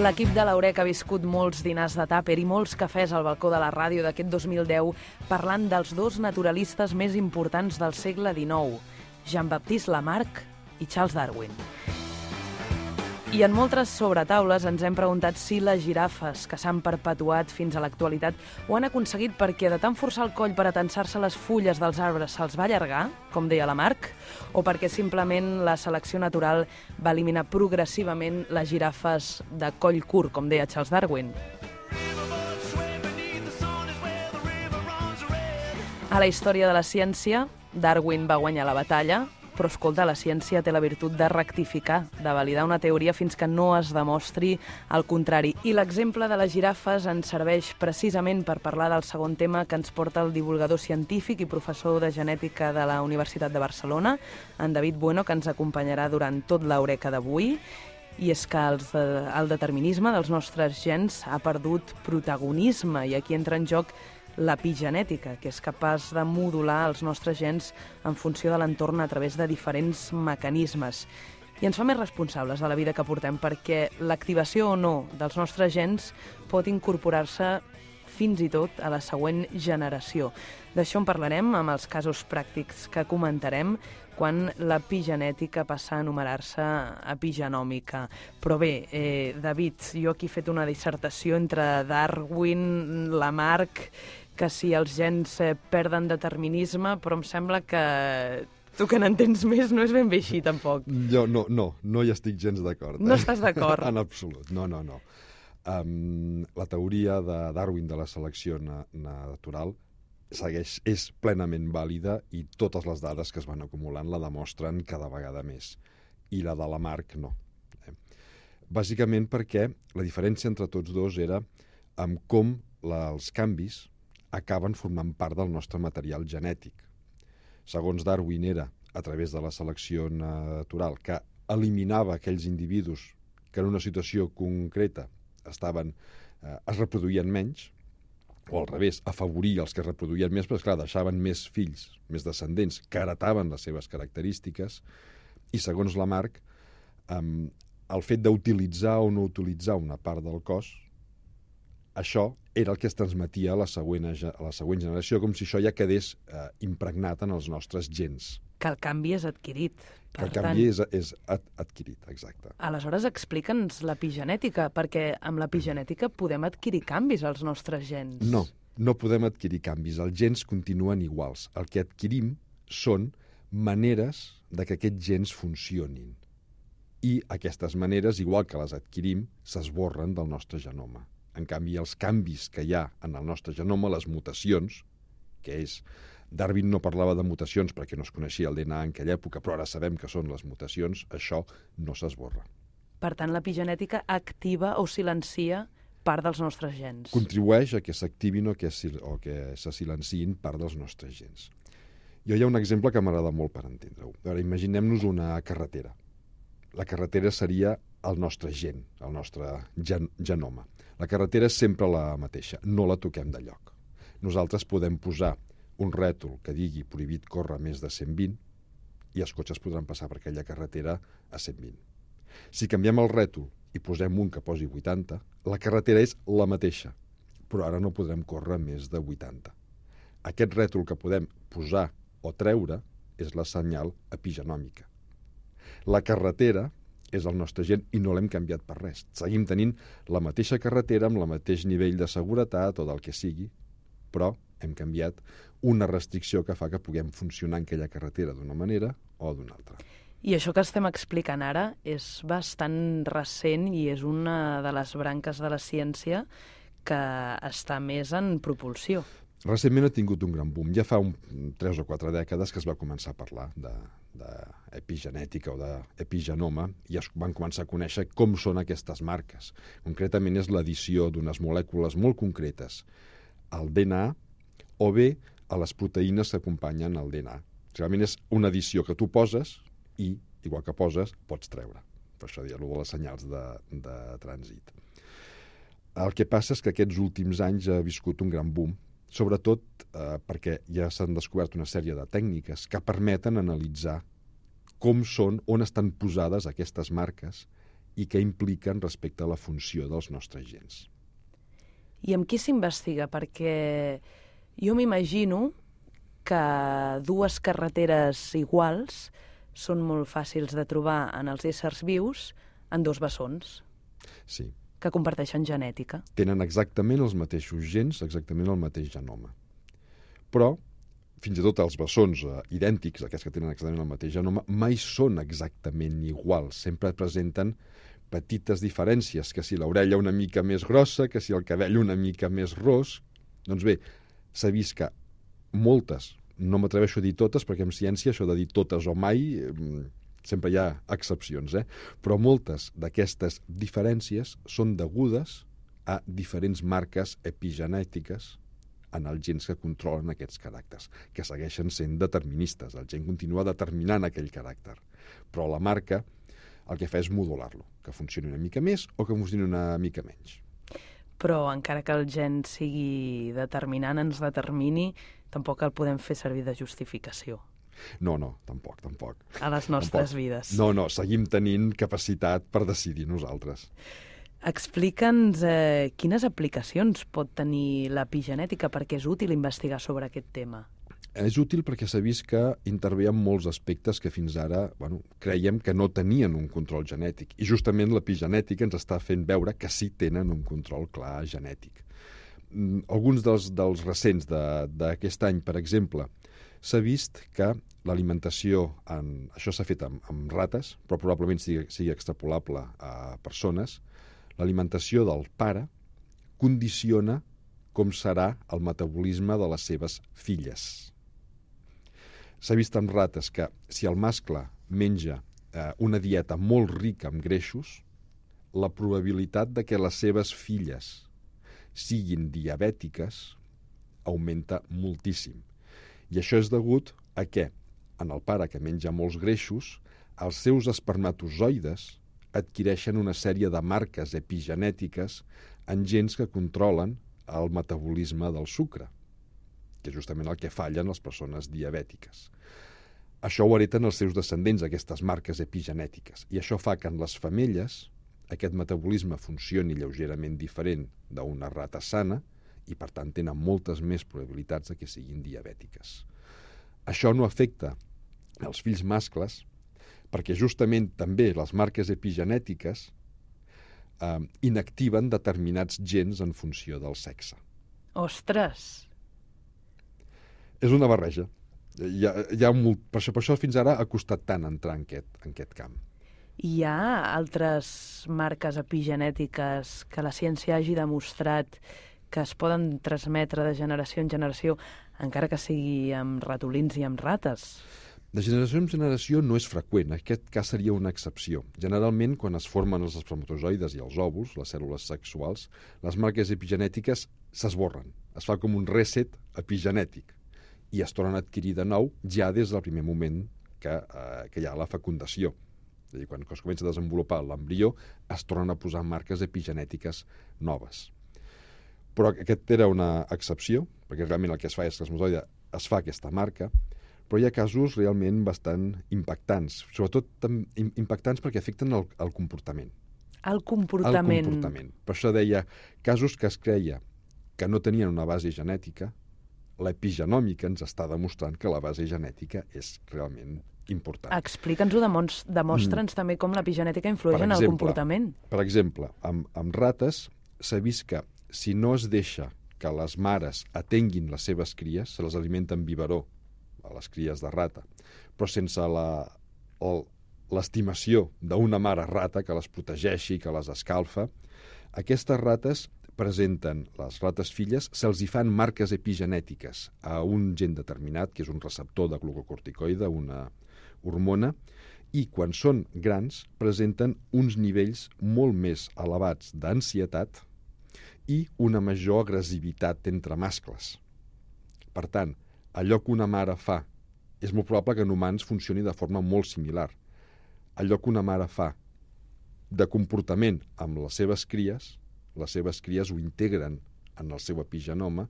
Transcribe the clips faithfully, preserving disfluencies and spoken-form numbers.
L'equip de l'Eureka ha viscut molts dinars de tàper i molts cafès al balcó de la ràdio d'aquest dos mil deu parlant dels dos naturalistes més importants del segle dinou, Jean-Baptiste Lamarck i Charles Darwin. I en moltes sobretaules ens hem preguntat si les girafes, que s'han perpetuat fins a l'actualitat, ho han aconseguit perquè de tant forçar el coll per atensar-se les fulles dels arbres se'ls va allargar, com deia Lamarck, o perquè simplement la selecció natural va eliminar progressivament les girafes de coll curt, com deia Charles Darwin. A la història de la ciència, Darwin va guanyar la batalla, però, escolta, la ciència té la virtut de rectificar, de validar una teoria fins que no es demostri el contrari. I l'exemple de les girafes ens serveix precisament per parlar del segon tema que ens porta el divulgador científic i professor de genètica de la Universitat de Barcelona, en David Bueno, que ens acompanyarà durant tot l'Eureka d'avui. I és que els de, el determinisme dels nostres gens ha perdut protagonisme i aquí entra en joc l'epigenètica, que és capaç de modular els nostres gens en funció de l'entorn a través de diferents mecanismes. I ens fa més responsables de la vida que portem, perquè l'activació o no dels nostres gens pot incorporar-se fins i tot a la següent generació. D'això en parlarem amb els casos pràctics que comentarem quan l'epigenètica passa a anomenar-se epigenòmica. Però bé, eh, David, jo aquí he fet una dissertació entre Darwin, Lamarck, que si els gens eh, perden determinisme, però em sembla que tu que n'entens més no és ben bé així, tampoc. Jo no, no, no hi estic gens d'acord. Eh? No estàs d'acord? En absolut, no, no, no. Um, la teoria de Darwin de la selecció na natural segueix, és plenament vàlida i totes les dades que es van acumulant la demostren cada vegada més. I la de Lamarck no. Eh? Bàsicament perquè la diferència entre tots dos era amb com la, els canvis acaben formant part del nostre material genètic. Segons Darwin era a través de la selecció natural que eliminava aquells individus que en una situació concreta estaven, eh, es reproduïen menys, o al revés, afavoria els que es reproduïen més, però esclar, deixaven més fills, més descendents, que heretaven les seves característiques, i segons Lamarck, eh, el fet d'utilitzar o no utilitzar una part del cos, això era el que es transmetia a la següent, a la següent generació, com si això ja quedés eh, impregnat en els nostres gens. Que el canvi és adquirit. Que el canvi és, és ad, adquirit, exacte. Aleshores, explica'ns l'epigenètica, perquè amb l'epigenètica podem adquirir canvis als nostres gens. No, no podem adquirir canvis. Els gens continuen iguals. El que adquirim són maneres de que aquests gens funcionin. I aquestes maneres, igual que les adquirim, s'esborren del nostre genoma. En canvi, els canvis que hi ha en el nostre genoma, les mutacions, que és... Darwin no parlava de mutacions perquè no es coneixia el D N A en aquella època, però ara sabem que són les mutacions, això no s'esborra. Per tant, l'epigenètica activa o silencia part dels nostres gens. Contribueix a que s'activin o, que o que se silenciïn part dels nostres gens. Jo hi ha un exemple que m'agrada molt per entendre-ho. Imaginem-nos una carretera. La carretera seria el nostre gen, el nostre gen genoma. La carretera és sempre la mateixa, no la toquem de lloc. Nosaltres podem posar un rètol que digui prohibit córrer més de cent vint i els cotxes podran passar per aquella carretera a cent vint. Si canviem el rètol i posem un que posi vuitanta, la carretera és la mateixa, però ara no podrem córrer més de vuitanta. Aquest rètol que podem posar o treure és la senyal epigenòmica. La carretera és el nostre gen i no l'hem canviat per res. Seguim tenint la mateixa carretera amb el mateix nivell de seguretat o del que sigui, però hem canviat una restricció que fa que puguem funcionar en aquella carretera d'una manera o d'una altra. I això que estem explicant ara és bastant recent i és una de les branques de la ciència que està més en propulsió. Recentment ha tingut un gran boom. Ja fa un, tres o quatre dècades que es va començar a parlar d'epigenètica o d'epigenoma i es van començar a conèixer com són aquestes marques. Concretament és l'addició d'unes molècules molt concretes al D N A o bé a les proteïnes que acompanyen el D N A. Realment és una addició que tu poses i, igual que poses, pots treure. Per això dir-ho de les senyals de, de trànsit. El que passa és que aquests últims anys ha viscut un gran boom, sobretot eh, perquè ja s'han descobert una sèrie de tècniques que permeten analitzar com són, on estan posades aquestes marques i què impliquen respecte a la funció dels nostres gens. I amb qui s'investiga? Perquè jo m'imagino que dues carreteres iguals són molt fàcils de trobar en els éssers vius en dos bessons. Sí. Que comparteixen genètica. Tenen exactament els mateixos gens, exactament el mateix genoma. Però, fins i tot els bessons eh, idèntics, aquests que tenen exactament el mateix genoma, mai són exactament iguals. Sempre presenten petites diferències, que si l'orella una mica més grossa, que si el cabell una mica més ros. Doncs bé, s'ha vist que moltes, no m'atreveixo a dir totes, perquè en ciència això de dir totes o mai, eh, sempre hi ha excepcions, eh? Però moltes d'aquestes diferències són degudes a diferents marques epigenètiques en els gens que controlen aquests caràcters, que segueixen sent deterministes. El gen continua determinant aquell caràcter, però la marca el que fa és modular-lo, que funcioni una mica més o que funcioni una mica menys. Però encara que el gen sigui determinant, ens determini, tampoc el podem fer servir de justificació. No, no, tampoc, tampoc. A les nostres tampoc. vides. No, no, seguim tenint capacitat per decidir nosaltres. Explica'ns eh, quines aplicacions pot tenir l'epigenètica, perquè és útil investigar sobre aquest tema. És útil perquè s'ha vist que intervé en molts aspectes que fins ara bueno, creiem que no tenien un control genètic. I justament l'epigenètica ens està fent veure que sí tenen un control clar genètic. Alguns dels, dels recents d'aquest any, per exemple, s'ha vist que l'alimentació, en, això s'ha fet amb, amb rates, però probablement sigui, sigui extrapolable a persones, l'alimentació del pare condiciona com serà el metabolisme de les seves filles. S'ha vist amb rates que si el mascle menja eh, una dieta molt rica en greixos, la probabilitat de que les seves filles siguin diabètiques augmenta moltíssim. I això és degut a que, en el pare que menja molts greixos, els seus espermatozoides adquireixen una sèrie de marques epigenètiques en gens que controlen el metabolisme del sucre, que és justament el que fallen les persones diabètiques. Això ho hereten els seus descendents, aquestes marques epigenètiques, i això fa que en les femelles aquest metabolisme funcioni lleugerament diferent d'una rata sana i, per tant, tenen moltes més probabilitats de que siguin diabètiques. Això no afecta els fills mascles perquè justament també les marques epigenètiques eh, inactiven determinats gens en funció del sexe. Ostres! És una barreja. Hi ha, hi ha molt, per, això, per això fins ara ha costat tant entrar en aquest, en aquest camp. Hi ha altres marques epigenètiques que la ciència hagi demostrat que es poden transmetre de generació en generació, encara que sigui amb ratolins i amb rates? De generació en generació no és freqüent, aquest cas seria una excepció. Generalment, quan es formen els espermatozoides i els òvuls, les cèl·lules sexuals, les marques epigenètiques s'esborren. Es fa com un reset epigenètic i es tornen a adquirir de nou ja des del primer moment que, eh, que hi ha la fecundació. És a dir, quan es comença a desenvolupar l'embrió, es tornen a posar marques epigenètiques noves. Però aquest era una excepció, perquè realment el que es fa és que l'espermatozoide es fa aquesta marca, però hi ha casos realment bastant impactants, sobretot impactants perquè afecten el, el comportament. El comportament. El comportament. Per això deia, casos que es creia que no tenien una base genètica, l'epigenòmica ens està demostrant que la base genètica és realment important. Explica'ns-ho, demostre'ns mm. també com l'epigenètica influeix exemple, en el comportament. Per exemple, amb, amb rates s'ha vist que si no es deixa que les mares atenguin les seves cries, se les alimenta amb biberó, a les cries de rata, però sense l'estimació d'una mare rata que les protegeixi, que les escalfa, aquestes rates presenten, les rates filles, se'ls hi fan marques epigenètiques a un gen determinat, que és un receptor de glucocorticoide, una hormona, i quan són grans presenten uns nivells molt més elevats d'ansietat i una major agressivitat entre mascles. Per tant, allò que una mare fa és molt probable que en humans funcioni de forma molt similar. Allò que una mare fa de comportament amb les seves cries, les seves cries ho integren en el seu epigenoma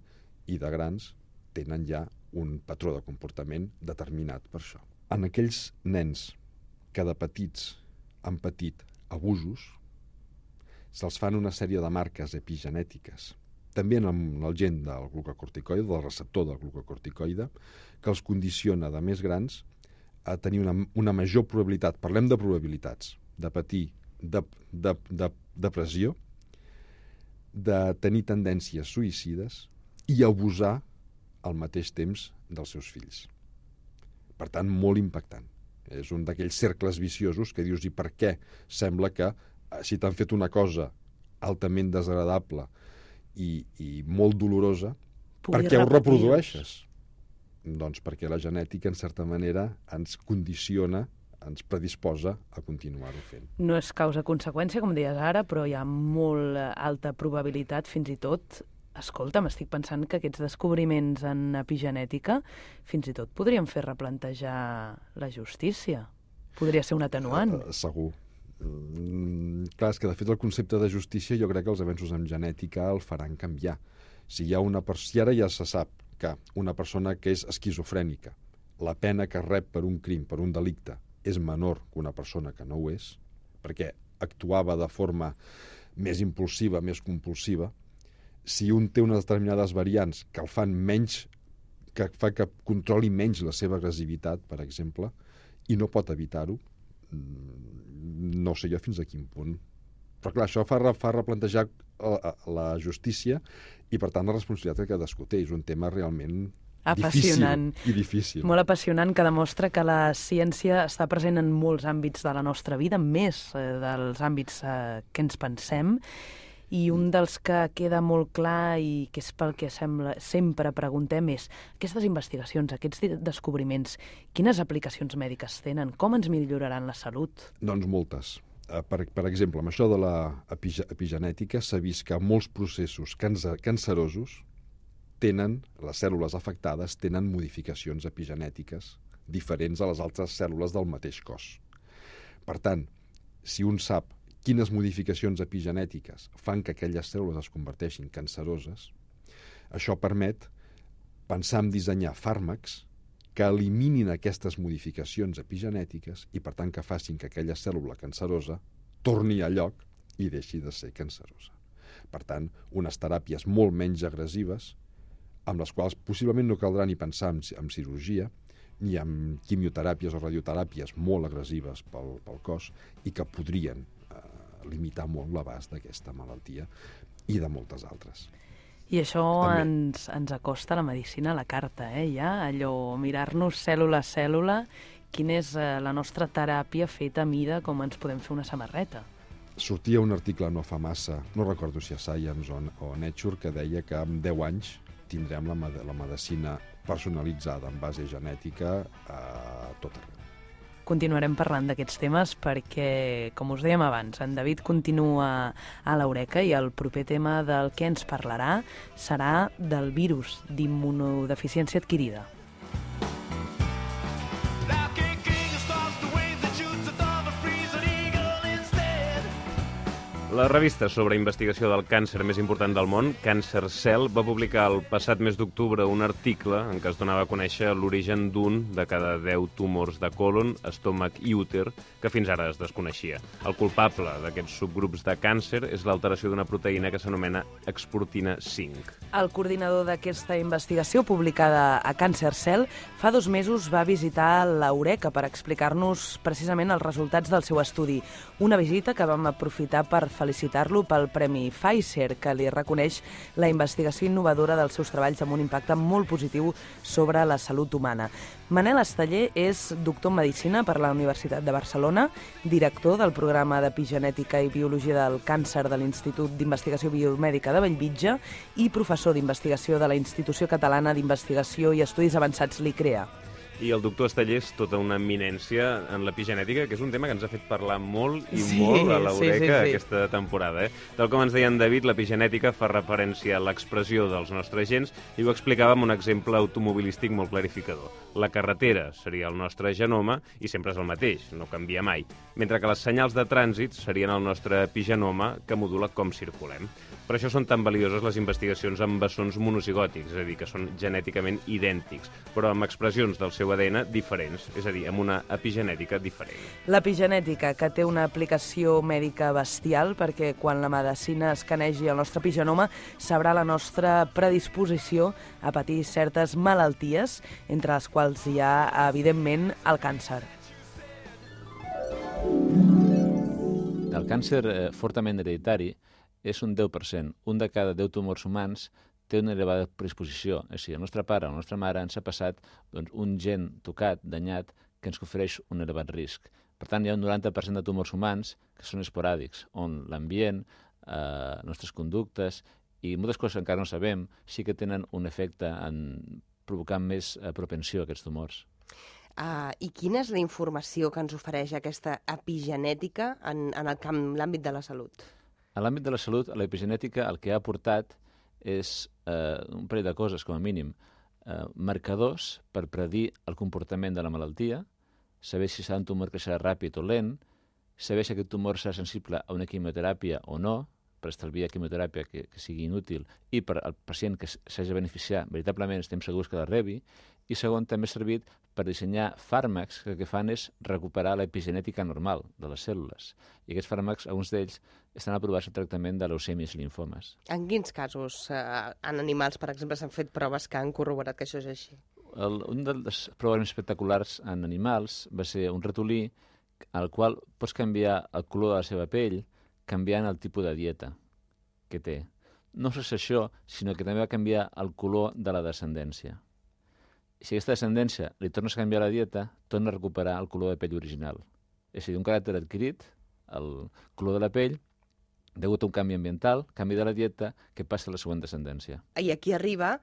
i de grans tenen ja un patró de comportament determinat per això. En aquells nens que de petits han patit abusos, se'ls fan una sèrie de marques epigenètiques, també en el, en el gen del glucocorticoide, del receptor del glucocorticoide, que els condiciona de més grans a tenir una, una major probabilitat, parlem de probabilitats, de patir de, de, de, depressió, de tenir tendències suïcides i abusar al mateix temps dels seus fills. Per tant, molt impactant. És un d'aquells cercles viciosos que dius, i per què sembla que si t'han fet una cosa altament desagradable i, i molt dolorosa, per què ho reprodueixes? Doncs perquè la genètica, en certa manera, ens condiciona, ens predisposa a continuar-ho fent. No és causa-conseqüència, com deies ara, però hi ha molt alta probabilitat, fins i tot. Escolta, m'estic pensant que aquests descobriments en epigenètica fins i tot podrien fer replantejar la justícia. Podria ser un atenuant. Uh, segur. Mm, clar, és que de fet el concepte de justícia jo crec que els avenços en genètica el faran canviar. Si hi ha una per... si ara ja se sap que una persona que és esquizofrènica, la pena que rep per un crim, per un delicte, és menor que una persona que no ho és, perquè actuava de forma més impulsiva, més compulsiva, si un té unes determinades variants que el fan menys, que fa que controli menys la seva agressivitat, per exemple, i no pot evitar-ho, no sé jo fins a quin punt. Però clar, això fa, fa replantejar la, la justícia i, per tant, la responsabilitat que cadascú té. És un tema realment apassionant. Difícil i difícil. Molt apassionant, que demostra que la ciència està present en molts àmbits de la nostra vida, més eh, dels àmbits eh, que ens pensem. I un dels que queda molt clar i que és pel que sembla, sempre preguntem és aquestes investigacions, aquests descobriments, quines aplicacions mèdiques tenen? Com ens milloraran la salut? Doncs moltes. Per, per exemple, amb això de l'epigenètica s'ha vist que molts processos cancerosos tenen, les cèl·lules afectades tenen modificacions epigenètiques diferents a les altres cèl·lules del mateix cos. Per tant, si un sap quines modificacions epigenètiques fan que aquelles cèl·lules es converteixin canceroses, això permet pensar en dissenyar fàrmacs que eliminin aquestes modificacions epigenètiques i, per tant, que facin que aquella cèl·lula cancerosa torni a lloc i deixi de ser cancerosa. Per tant, unes teràpies molt menys agressives, amb les quals possiblement no caldrà ni pensar en, en cirurgia, ni en quimioteràpies o radioteràpies molt agressives pel, pel cos i que podrien limitar molt l'abast d'aquesta malaltia i de moltes altres. I això ens, ens acosta a la medicina a la carta, eh? Ja, allò, mirar-nos cèl·lula a cèl·lula, quina és eh, la nostra teràpia feta a mida com ens podem fer una samarreta. Sortia un article no fa massa, no recordo si a Science o, o Nature, que deia que en deu anys tindrem la, la medicina personalitzada en base genètica a tot arreu. Continuarem parlant d'aquests temes perquè, com us dèiem abans, en David continua a l'Eureka i el proper tema del que ens parlarà serà del virus d'immunodeficiència adquirida. La revista sobre investigació del càncer més important del món, Cancer Cell, va publicar el passat mes d'octubre un article en què es donava a conèixer l'origen d'un de cada deu tumors de colon, estómac i úter que fins ara es desconeixia. El culpable d'aquests subgrups de càncer és l'alteració d'una proteïna que s'anomena exportina cinc. El coordinador d'aquesta investigació, publicada a Cancer Cell, fa dos mesos va visitar l'Eureka per explicar-nos precisament els resultats del seu estudi. Una visita que vam aprofitar per felicitar-lo pel Premi Pfizer, que li reconeix la investigació innovadora dels seus treballs amb un impacte molt positiu sobre la salut humana. Manel Esteller és doctor en Medicina per la Universitat de Barcelona, director del programa d'Epigenètica i Biologia del Càncer de l'Institut d'Investigació Biomèdica de Bellvitge i professor d'investigació de la Institució Catalana d'Investigació i Estudis Avançats, l'I C R E A. I el doctor Esteller és tota una eminència en l'epigenètica, que és un tema que ens ha fet parlar molt i sí, molt a l'Eureka sí, sí, sí. aquesta temporada. Eh? Tal com ens deia en David, l'epigenètica fa referència a l'expressió dels nostres gens i ho explicava amb un exemple automobilístic molt clarificador. La carretera seria el nostre genoma i sempre és el mateix, no canvia mai, mentre que les senyals de trànsit serien el nostre epigenoma que modula com circulem. Per això són tan valioses les investigacions amb bessons monozigòtics, és a dir, que són genèticament idèntics, però amb expressions del seu seu A D N diferents, és a dir, amb una epigenètica diferent. L'epigenètica, que té una aplicació mèdica bestial, perquè quan la medicina escanegi el nostre epigenoma sabrà la nostra predisposició a patir certes malalties, entre les quals hi ha, evidentment, el càncer. El càncer eh, fortament hereditari és un deu per cent. Un de cada deu tumors humans té una elevada predisposició. És a dir, el nostre pare o la nostra mare ens ha passat doncs, un gen tocat, danyat, que ens ofereix un elevat risc. Per tant, hi ha un noranta per cent de tumors humans que són esporàdics, on l'ambient, eh, les nostres conductes i moltes coses que encara no sabem sí que tenen un efecte en provocar més eh, propensió a aquests tumors. Uh, I quina és la informació que ens ofereix aquesta epigenètica en, en el camp, l'àmbit de la salut? A l'àmbit de la salut, l'epigenètica el que ha aportat és eh, un parell de coses, com a mínim. Eh, marcadors per predir el comportament de la malaltia, saber si serà un tumor que serà ràpid o lent, saber si aquest tumor serà sensible a una quimioteràpia o no, per estalviar quimioteràpia que, que sigui inútil, i per al pacient que s'hagi de beneficiar, veritablement estem segurs que la rebi, i segon, també ha servit per dissenyar fàrmacs que el que fan és recuperar l'epigenètica normal de les cèl·lules. I aquests fàrmacs, alguns d'ells, estan aprovats al tractament de leucèmies i linfomes. En quins casos, eh, en animals, per exemple, s'han fet proves que han corroborat que això és així? El, un dels proves més espectaculars en animals va ser un ratolí al qual pots canviar el color de la seva pell canviant el tipus de dieta que té. No només això, sinó que també va canviar el color de la descendència. Si aquesta descendència li tornes a canviar la dieta, torna a recuperar el color de pell original. És a dir, un caràcter adquirit, el color de la pell, degut a un canvi ambiental, canvi de la dieta, que passa a la següent descendència. I aquí arriba,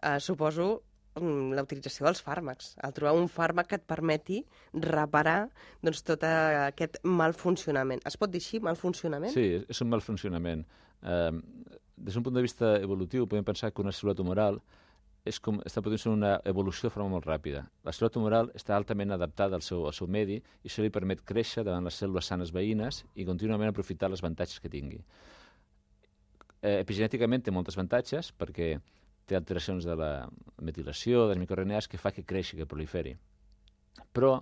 eh, suposo, la utilització dels fàrmacs. El trobar un fàrmac que et permeti reparar doncs, tot aquest mal funcionament. Es pot dir així, mal funcionament? Sí, és un mal funcionament. Eh, des d'un punt de vista evolutiu, podem pensar que una cèl·lula tumoral és com, està podent ser una evolució de forma molt ràpida. La cèl·lula tumoral està altament adaptada al seu, al seu medi i això li permet créixer davant les cèl·lules sanes veïnes i contínuament aprofitar els avantatges que tingui. Eh, epigenèticament té moltes avantatges perquè té alteracions de la metilació, de les microRNAs, que fa que creixi, que proliferi. Però,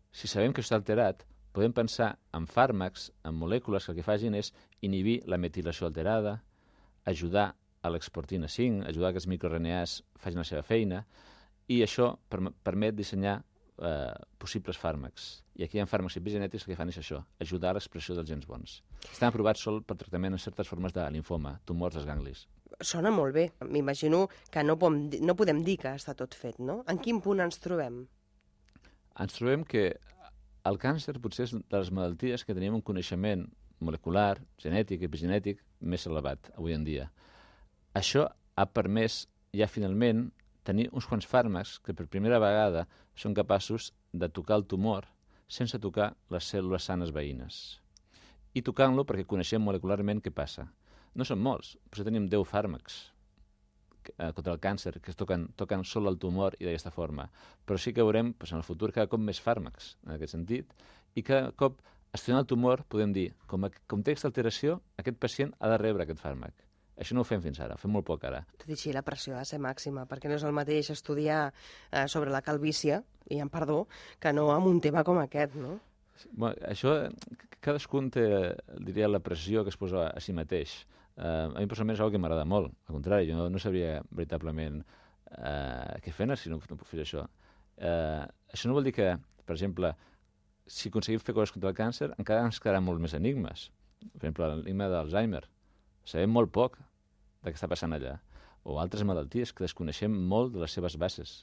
si sabem que això està alterat, podem pensar en fàrmacs, en molècules que el que facin és inhibir la metilació alterada, ajudar a l'exportina cinc, ajudar que els microRNAs facin la seva feina, i això per permet dissenyar eh, possibles fàrmacs. I aquí hi ha fàrmacs epigenètics que fan és això, ajudar a l'expressió dels gens bons. Estan aprovats sol per tractament en certes formes de linfoma, tumors dels ganglis. Sona molt bé. M'imagino que no, pom, no podem dir que està tot fet, no? En quin punt ens trobem? Ens trobem que el càncer potser és de les malalties que tenim un coneixement molecular, genètic, epigenètic, més elevat avui en dia. Això ha permès ja finalment tenir uns quants fàrmacs que per primera vegada són capaços de tocar el tumor sense tocar les cèl·lules sanes veïnes. I tocant-lo perquè coneixem molecularment què passa. No són molts, però tenim deu fàrmacs eh, contra el càncer que es toquen, toquen sol el tumor i d'aquesta forma. Però sí que veurem doncs, en el futur cada cop més fàrmacs en aquest sentit i cada cop estudiant el tumor podem dir com a context d'alteració aquest pacient ha de rebre aquest fàrmac. Això no ho fem fins ara, ho fem molt poc ara. Tot i així, la pressió ha de ser màxima, perquè no és el mateix estudiar eh, sobre la calvície, i en perdó, que no amb un tema com aquest, no? Bueno, això, cadascun té, diria, la pressió que es posa a si mateix. Uh, a mi personalment és una cosa que m'agrada molt. Al contrari, jo no, no sabria veritablement uh, què fer si no, no puc fer això. Uh, això no vol dir que, per exemple, si aconseguim fer coses contra el càncer, encara ens quedaran molt més enigmes. Per exemple, l'enigma d'Alzheimer. Sabem molt poc de què està passant allà. O altres malalties que desconeixem molt de les seves bases.